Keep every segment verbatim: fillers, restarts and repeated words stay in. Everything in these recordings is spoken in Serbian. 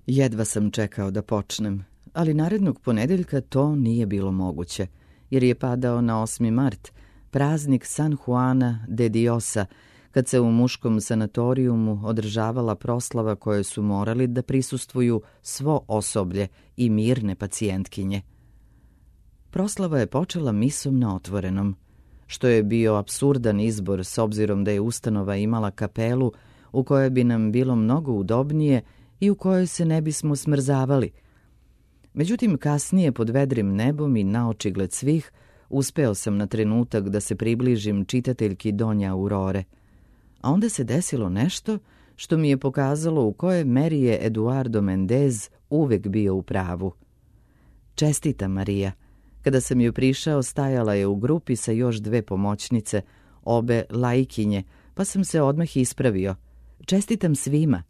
Jedva sam čekao da počnem, ali narednog ponedeljka to nije bilo moguće, jer je padao na osmi mart, praznik San Juana de Diosa, kad se u muškom sanatorijumu održavala proslava koje su morali da prisustvuju svo osoblje i mirne pacijentkinje. Proslava je počela misom na otvorenom, što je bio apsurdan izbor s obzirom da je ustanova imala kapelu u kojoj bi nam bilo mnogo udobnije i u kojoj se ne bismo smrzavali. Međutim, kasnije pod vedrim nebom i naočigled svih uspeo sam na trenutak da se približim čitateljki Donja Aurore. A onda se desilo nešto što mi je pokazalo u kojoj meri je Eduardo Mendez uvek bio u pravu. Čestita, Marija. Kada sam joj prišao, stajala je u grupi sa još dve pomoćnice, obe laikinje, pa sam se odmah ispravio. Čestitam svima.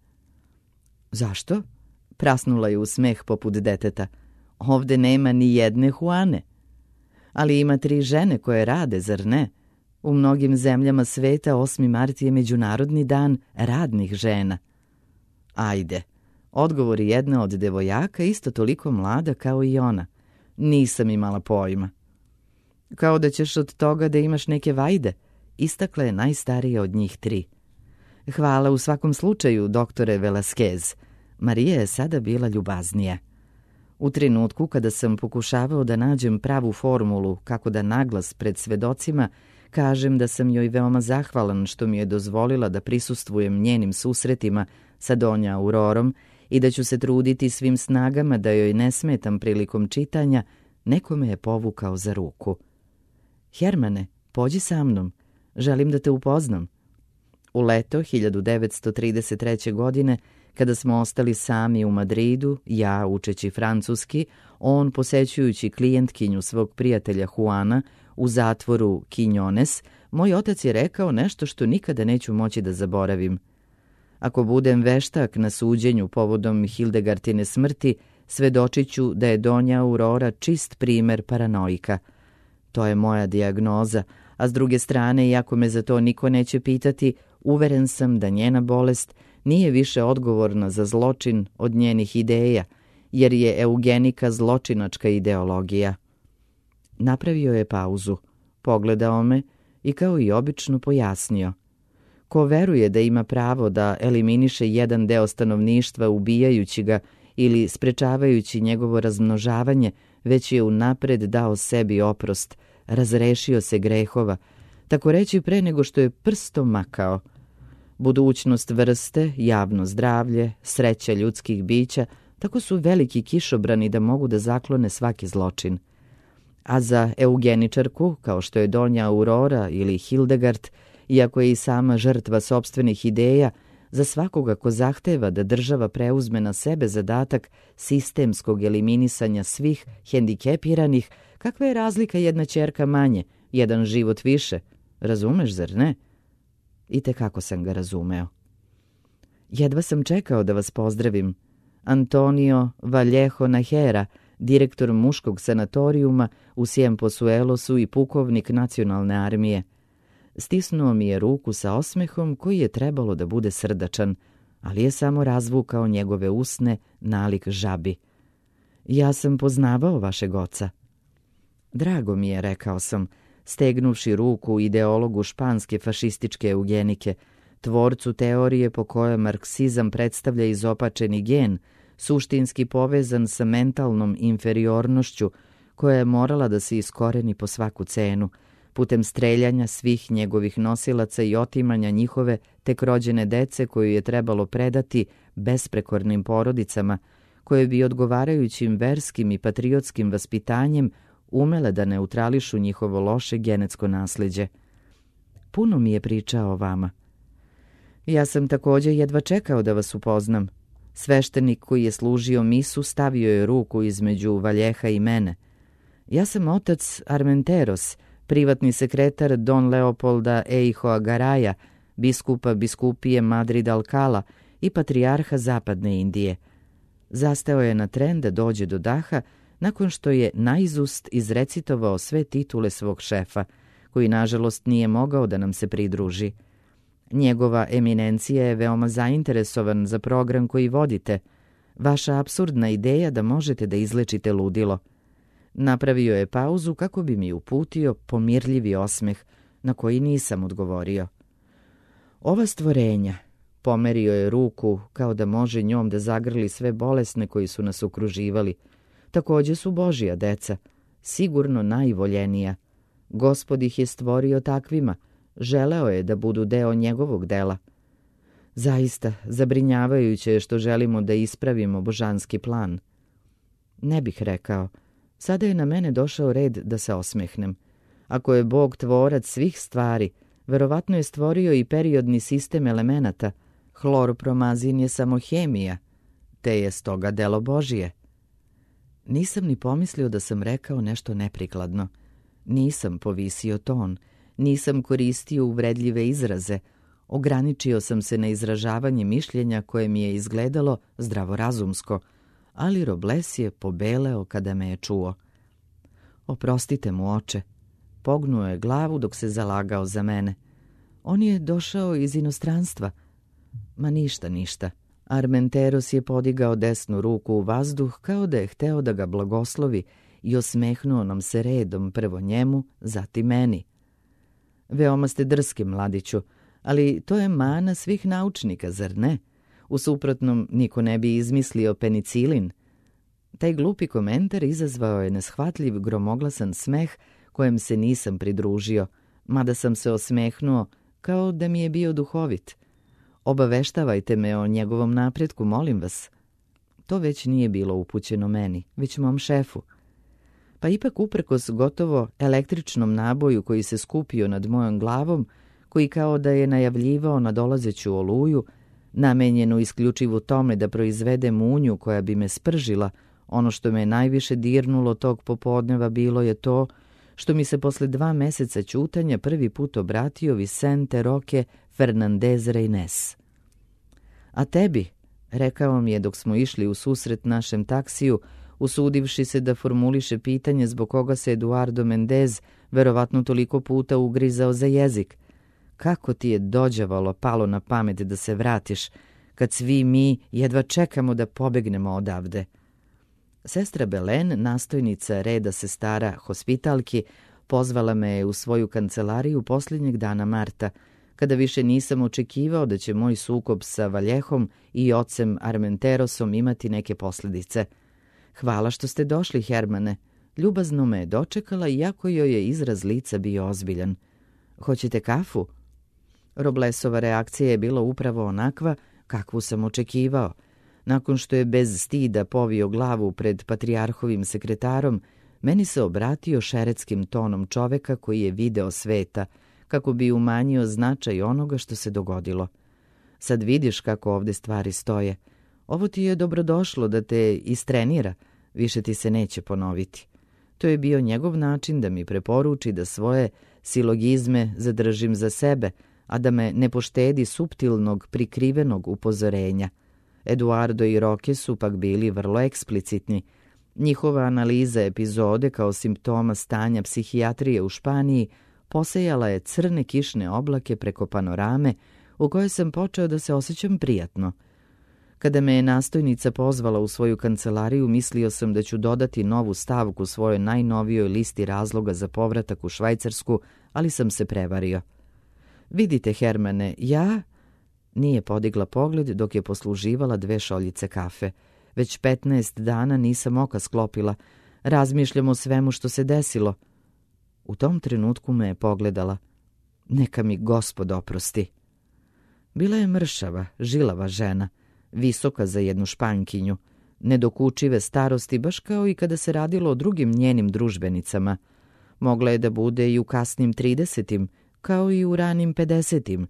Zašto? Prasnula je u smeh poput deteta. Ovde nema ni jedne Juane. Ali ima tri žene koje rade, zar ne? U mnogim zemljama sveta osmi mart je Međunarodni dan radnih žena. Ajde, odgovori jedna od devojaka, isto toliko mlada kao i ona. Nisam imala pojma. Kao da ćeš od toga da imaš neke vajde, istakla je najstarija od njih tri. Hvala u svakom slučaju, doktore Velasquez. Marija je sada bila ljubaznija. U trenutku kada sam pokušavao da nađem pravu formulu kako da naglas pred svedocima kažem da sam joj veoma zahvalan što mi je dozvolila da prisustvujem njenim susretima sa Donja Aurorom i da ću se truditi svim snagama da joj ne smetam prilikom čitanja, neko me je povukao za ruku. Hermane, pođi sa mnom, želim da te upoznam. U leto hiljadu devetsto trideset treće. godine, kada smo ostali sami u Madridu, ja učeći francuski, on posećujući klijentkinju svog prijatelja Juana u zatvoru Quiñones, moj otac je rekao nešto što nikada neću moći da zaboravim. Ako budem veštak na suđenju povodom Hildegartine smrti, svedočiću da je Donja Aurora čist primer paranoika. To je moja dijagnoza, a s druge strane, iako me za to niko neće pitati, uveren sam da njena bolest nije više odgovorna za zločin od njenih ideja, jer je eugenika zločinačka ideologija. Napravio je pauzu, pogledao me i kao i obično pojasnio. Ko veruje da ima pravo da eliminiše jedan deo stanovništva ubijajući ga ili sprečavajući njegovo razmnožavanje, već je unapred dao sebi oprost, razrešio se grehova, tako reći pre nego što je prstom makao. Budućnost vrste, javno zdravlje, sreća ljudskih bića, tako su veliki kišobrani da mogu da zaklone svaki zločin. A za eugeničarku, kao što je Donja Aurora ili Hildegard, iako je i sama žrtva sopstvenih ideja, za svakoga ko zahteva da država preuzme na sebe zadatak sistemskog eliminisanja svih hendikepiranih, kakva je razlika jedna ćerka manje, jedan život više, razumeš, zar ne? I tekako sam ga razumeo. Jedva sam čekao da vas pozdravim. Antonio Vallejo Nahera, direktor muškog sanatorijuma u Ciempozuelosu i pukovnik nacionalne armije. Stisnuo mi je ruku sa osmehom koji je trebalo da bude srdačan, ali je samo razvukao njegove usne nalik žabi. Ja sam poznavao vašeg oca. Drago mi je, rekao sam, stegnuvši ruku ideologu španske fašističke eugenike, tvorcu teorije po kojoj marksizam predstavlja izopačeni gen, suštinski povezan sa mentalnom inferiornošću koja je morala da se iskoreni po svaku cenu, putem streljanja svih njegovih nosilaca i otimanja njihove tek rođene dece koju je trebalo predati besprekornim porodicama, koje bi odgovarajućim verskim i patriotskim vaspitanjem umele da neutrališu njihovo loše genetsko nasleđe. Puno mi je pričao o vama. Ja sam također jedva čekao da vas upoznam. Sveštenik koji je služio misu stavio je ruku između Valjeha i mene. Ja sam otac Armenteros, privatni sekretar Don Leopolda Eijoa Garaja, biskupa biskupije Madrid Alcala i patrijarha Zapadne Indije. Zastao je na tren da dođe do daha nakon što je naizust izrecitovao sve titule svog šefa, koji nažalost nije mogao da nam se pridruži. Njegova eminencija je veoma zainteresovan za program koji vodite. Vaša apsurdna ideja da možete da izlečite ludilo. Napravio je pauzu kako bi mi uputio pomirljivi osmeh na koji nisam odgovorio. Ova stvorenja, pomerio je ruku kao da može njom da zagrli sve bolesne koji su nas okruživali, takođe su Božja deca, sigurno najvoljenija. Gospod ih je stvorio takvima, želeo je da budu deo njegovog dela. Zaista, zabrinjavajuće je što želimo da ispravimo božanski plan. Ne bih rekao. Sada je na mene došao red da se osmehnem. Ako je Bog tvorac svih stvari, verovatno je stvorio i periodni sistem elemenata. Hloropromazin je samo hemija, te je stoga delo Božije. Nisam ni pomislio da sam rekao nešto neprikladno. Nisam povisio ton, nisam koristio uvredljive izraze, ograničio sam se na izražavanje mišljenja koje mi je izgledalo zdravorazumsko, ali Robles je pobeleo kada me je čuo. Oprostite mu, oče. Pognuo je glavu dok se zalagao za mene. On je došao iz inostranstva. Ma ništa, ništa. Armenteros je podigao desnu ruku u vazduh kao da je hteo da ga blagoslovi i osmehnuo nam se redom, prvo njemu, zatim meni. Veoma ste drski, mladiću, ali to je mana svih naučnika, zar ne? U suprotnom, niko ne bi izmislio penicilin. Taj glupi komentar izazvao je neshvatljiv gromoglasan smeh kojem se nisam pridružio, mada sam se osmehnuo kao da mi je bio duhovit. Obaveštavajte me o njegovom napretku, molim vas. To već nije bilo upućeno meni, već mom šefu. Pa ipak uprkos gotovo električnom naboju koji se skupio nad mojom glavom, koji kao da je najavljivao nadolazeću oluju, namenjenu isključivo tome da proizvede munju koja bi me spržila, ono što me najviše dirnulo tog popodneva bilo je to što mi se posle dva meseca ćutanja prvi put obratio Vicente Roque Fernandez Reines. A tebi, rekao mi je dok smo išli u susret našem taksiju, usudivši se da formuliše pitanje zbog koga se Eduardo Mendez verovatno toliko puta ugrizao za jezik. Kako ti je dođavalo palo na pamet da se vratiš, kad svi mi jedva čekamo da pobegnemo odavde? Sestra Belen, nastojnica reda sestara hospitalki, pozvala me je u svoju kancelariju posljednjeg dana marta, kada više nisam očekivao da će moj sukob sa Valjehom i ocem Armenterosom imati neke posljedice. Hvala što ste došli, Hermane. Ljubazno me je dočekala, iako joj je izraz lica bio ozbiljan. Hoćete kafu? Roblesova reakcija je bila upravo onakva kakvu sam očekivao. Nakon što je bez stida povio glavu pred patrijarhovim sekretarom, meni se obratio šeretskim tonom čoveka koji je video sveta, kako bi umanjio značaj onoga što se dogodilo. Sad vidiš kako ovde stvari stoje. Ovo ti je dobrodošlo da te istrenira, više ti se neće ponoviti. To je bio njegov način da mi preporuči da svoje silogizme zadržim za sebe, a da me ne poštedi suptilnog, prikrivenog upozorenja. Eduardo i Roque su pak bili vrlo eksplicitni. Njihova analiza epizode kao simptoma stanja psihijatrije u Španiji posejala je crne kišne oblake preko panorame u kojoj sam počeo da se osjećam prijatno. Kada me je nastojnica pozvala u svoju kancelariju, mislio sam da ću dodati novu stavku svojoj najnovijoj listi razloga za povratak u Švajcarsku, ali sam se prevario. Vidite, Hermane, ja... Nije podigla pogled dok je posluživala dve šoljice kafe. Već petnaest dana nisam oka sklopila. Razmišljam o svemu što se desilo. U tom trenutku me je pogledala. Neka mi Gospod oprosti. Bila je mršava, žilava žena, visoka za jednu Špankinju, nedokučive starosti, baš kao i kada se radilo o drugim njenim družbenicama. Mogla je da bude i u kasnim tridesetim, kao i u ranim pedesetim.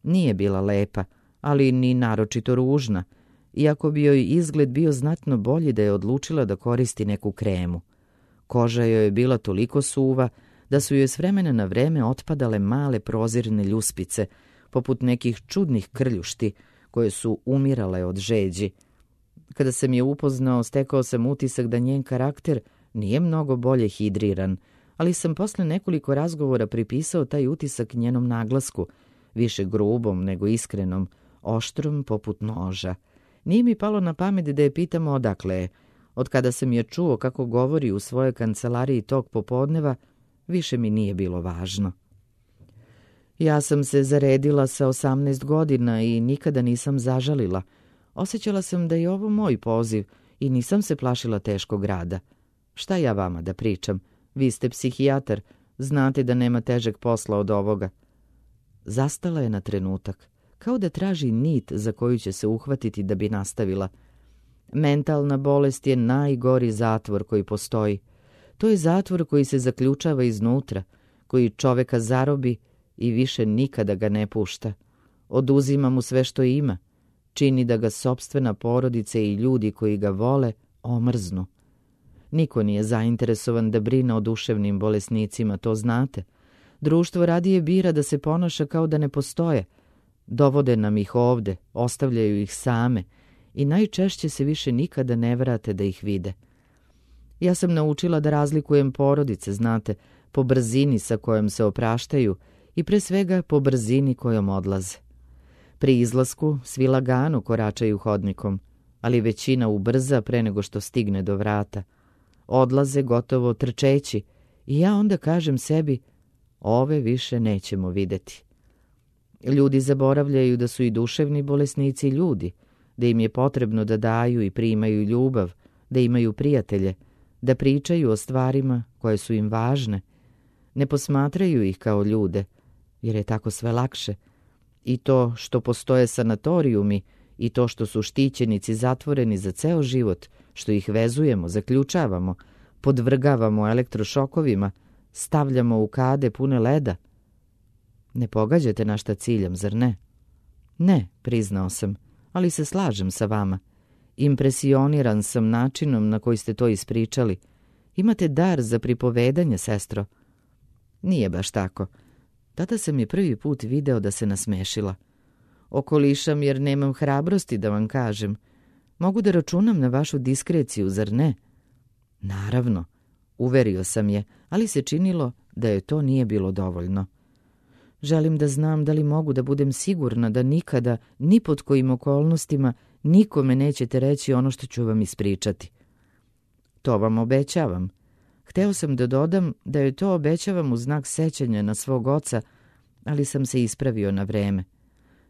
Nije bila lepa, ali ni naročito ružna, iako bi joj izgled bio znatno bolji da je odlučila da koristi neku kremu. Koža joj je bila toliko suva da su joj s vremena na vreme otpadale male prozirne ljuspice, poput nekih čudnih krljušti, koje su umirale od žeđi. Kada sam je upoznao, stekao sam utisak da njen karakter nije mnogo bolje hidriran, ali sam posle nekoliko razgovora pripisao taj utisak njenom naglasku, više grubom nego iskrenom, oštrom poput noža. Nije mi palo na pamet da je pitamo odakle je. Od kada sam je čuo kako govori u svojoj kancelariji tog popodneva, više mi nije bilo važno. Ja sam se zaredila sa osamnaest godina i nikada nisam zažalila. Osjećala sam da je ovo moj poziv i nisam se plašila teškog rada. Šta ja vama da pričam? Vi ste psihijatar, znate da nema težeg posla od ovoga. Zastala je na trenutak, kao da traži nit za koju će se uhvatiti da bi nastavila. Mentalna bolest je najgori zatvor koji postoji. To je zatvor koji se zaključava iznutra, koji čoveka zarobi i više nikada ga ne pušta. Oduzima mu sve što ima, čini da ga sopstvena porodica i ljudi koji ga vole omrznu. Niko nije zainteresovan da brine o duševnim bolesnicima, to znate. Društvo radije bira da se ponaša kao da ne postoje. Dovode nam ih ovde, ostavljaju ih same i najčešće se više nikada ne vrate da ih vide. Ja sam naučila da razlikujem porodice, znate, po brzini sa kojom se opraštaju i pre svega po brzini kojom odlaze. Pri izlasku svi lagano koračaju hodnikom, ali većina ubrza pre nego što stigne do vrata. Odlaze gotovo trčeći i ja onda kažem sebi, ove više nećemo videti. Ljudi zaboravljaju da su i duševni bolesnici ljudi, da im je potrebno da daju i primaju ljubav, da imaju prijatelje, da pričaju o stvarima koje su im važne. Ne posmatraju ih kao ljude, jer je tako sve lakše. I to što postoje sanatorijumi i to što su štićenici zatvoreni za ceo život, što ih vezujemo, zaključavamo, podvrgavamo elektrošokovima, stavljamo u kade pune leda. Ne pogađate na šta ciljam, zar ne? Ne, priznao sam, ali se slažem sa vama. Impresioniran sam načinom na koji ste to ispričali. Imate dar za pripovedanje, sestro. Nije baš tako. Tada sam je prvi put video da se nasmešila. Okolišam jer nemam hrabrosti da vam kažem. Mogu da računam na vašu diskreciju, zar ne? Naravno, uverio sam je, ali se činilo da je to nije bilo dovoljno. Želim da znam da li mogu da budem sigurna da nikada, ni pod kojim okolnostima, nikome nećete reći ono što ću vam ispričati. To vam obećavam. Hteo sam da dodam da joj to obećavam u znak sećanja na svog oca, ali sam se ispravio na vreme.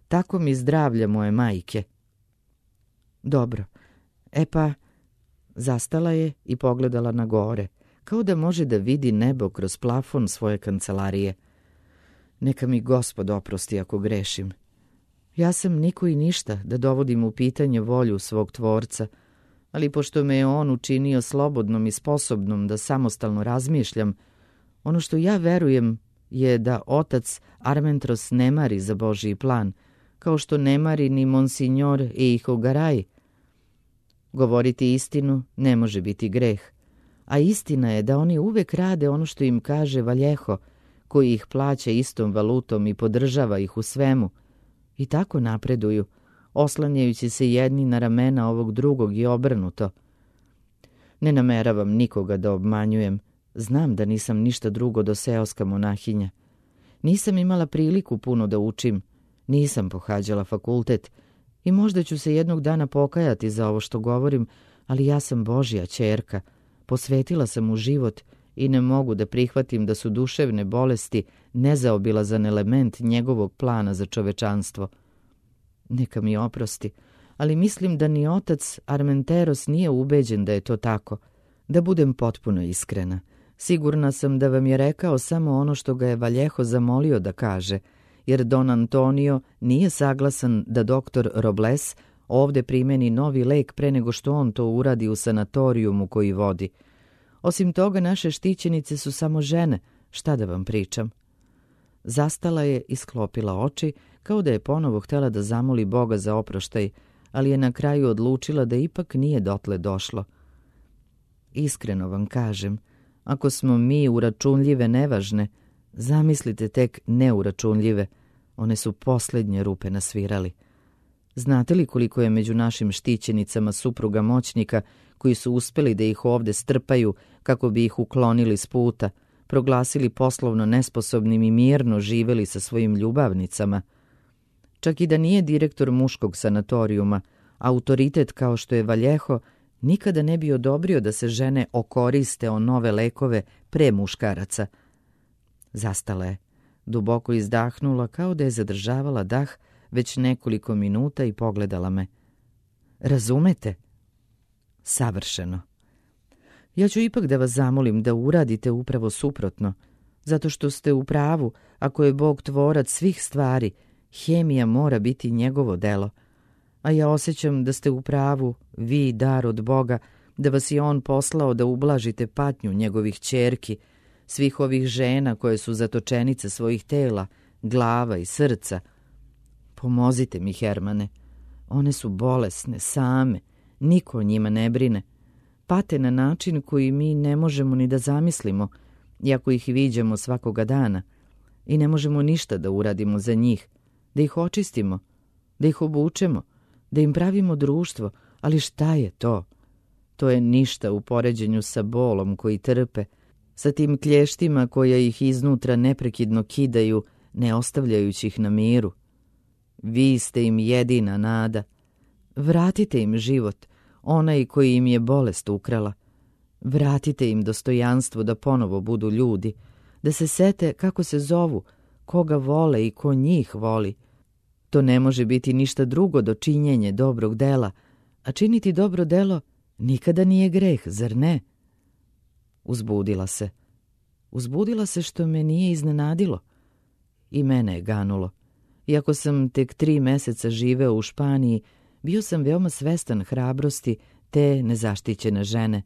Tako mi zdravlja moje majke. Dobro, e pa, zastala je i pogledala na gore, kao da može da vidi nebo kroz plafon svoje kancelarije. Neka mi Gospod oprosti ako grešim. Ja sam niko i ništa da dovodim u pitanje volju svog tvorca, ali pošto me je on učinio slobodnom i sposobnom da samostalno razmišljam, ono što ja verujem je da otac Armentros ne mari za Božji plan, kao što ne mari ni Monsignor Eiho Garay. Govoriti istinu ne može biti greh, a istina je da oni uvek rade ono što im kaže Valjeho, koji ih plaća istom valutom i podržava ih u svemu, i tako napreduju, oslanjajući se jedni na ramena ovog drugog i obrnuto. Ne nameravam nikoga da obmanjujem, znam da nisam ništa drugo do seoska monahinja. Nisam imala priliku puno da učim, nisam pohađala fakultet i možda ću se jednog dana pokajati za ovo što govorim, ali ja sam Božja ćerka, posvetila sam mu život i ne mogu da prihvatim da su duševne bolesti nezaobilazan element njegovog plana za čovečanstvo. Neka mi oprosti, ali mislim da ni otac Armenteros nije ubeđen da je to tako. Da budem potpuno iskrena, sigurna sam da vam je rekao samo ono što ga je Valjeho zamolio da kaže, jer Don Antonio nije saglasan da doktor Robles ovde primeni novi lek pre nego što on to uradi u sanatorijumu koji vodi. Osim toga, naše štićenice su samo žene, šta da vam pričam. Zastala je i sklopila oči, kao da je ponovo htela da zamoli Boga za oproštaj, ali je na kraju odlučila da ipak nije dotle došlo. Iskreno vam kažem, ako smo mi uračunljive nevažne, zamislite tek neuračunljive, one su posljednje rupe nasvirali. Znate li koliko je među našim štićenicama supruga moćnika koji su uspeli da ih ovde strpaju kako bi ih uklonili s puta, proglasili poslovno nesposobnim i mirno živeli sa svojim ljubavnicama? Čak i da nije direktor muškog sanatorijuma, Autoritet kao što je Valjeho nikada ne bi odobrio da se žene okoriste o nove lekove pre muškaraca. Zastala je, duboko izdahnula kao da je zadržavala dah već nekoliko minuta i pogledala me. Razumete? Savršeno. Ja ću ipak da vas zamolim da uradite upravo suprotno, zato što ste u pravu, ako je Bog tvorac svih stvari, hemija mora biti njegovo delo. A ja osjećam da ste u pravu, vi, dar od Boga, da vas je on poslao da ublažite patnju njegovih ćerki, svih ovih žena koje su zatočenice svojih tela, glava i srca. Pomozite mi, Hermane. One su bolesne, same, niko o njima ne brine. Pate na način koji mi ne možemo ni da zamislimo, iako ih viđamo svakoga dana, i ne možemo ništa da uradimo za njih, da ih očistimo, da ih obučemo, da im pravimo društvo, ali šta je to? To je ništa u poređenju sa bolom koji trpe, sa tim klještima koje ih iznutra neprekidno kidaju, ne ostavljajući ih na miru. Vi ste im jedina nada. Vratite im život, onaj koji im je bolest ukrala. Vratite im dostojanstvo da ponovo budu ljudi, da se sete kako se zovu, koga vole i ko njih voli. To ne može biti ništa drugo do činjenje dobrog dela, a činiti dobro delo nikada nije greh, zar ne? Uzbudila se. Uzbudila se što me nije iznenadilo. I mene je ganulo. Iako sam tek tri meseca živeo u Španiji, bio sam veoma svestan hrabrosti te nezaštićene žene,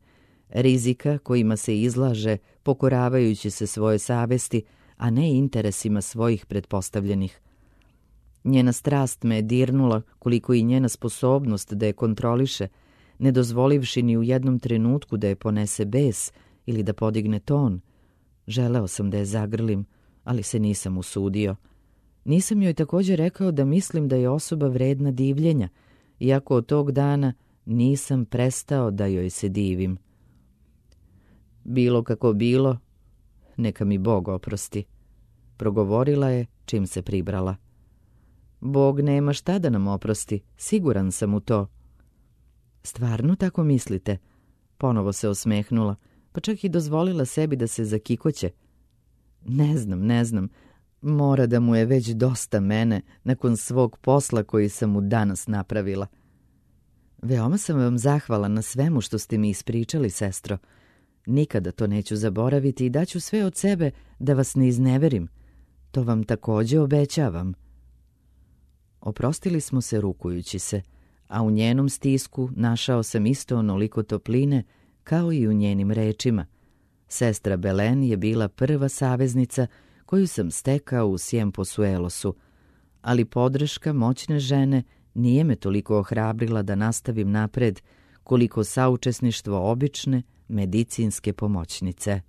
rizika kojima se izlaže pokoravajući se svoje savesti, a ne interesima svojih pretpostavljenih. Njena strast me je dirnula koliko i njena sposobnost da je kontroliše, ne dozvolivši ni u jednom trenutku da je ponese bes ili da podigne ton. Želeo sam da je zagrlim, ali se nisam usudio. Nisam joj također rekao da mislim da je osoba vredna divljenja, iako od tog dana nisam prestao da joj se divim. Bilo kako bilo, neka mi Bog oprosti, progovorila je čim se pribrala. Bog nema šta da nam oprosti, siguran sam u to. Stvarno tako mislite? Ponovo se osmehnula, pa čak i dozvolila sebi da se zakikoće. Ne znam, ne znam, mora da mu je već dosta mene nakon svog posla koji sam mu danas napravila. Veoma sam vam zahvala na svemu što ste mi ispričali, sestro. Nikada to neću zaboraviti i daću sve od sebe da vas ne izneverim. To vam također obećavam. Oprostili smo se rukujući se, a u njenom stisku našao sam isto onoliko topline kao i u njenim rečima. Sestra Belen je bila prva saveznica koju sam stekao u Cienpozuelosu, ali podrška moćne žene nije me toliko ohrabrila da nastavim napred koliko saučesništvo obične medicinske pomoćnice.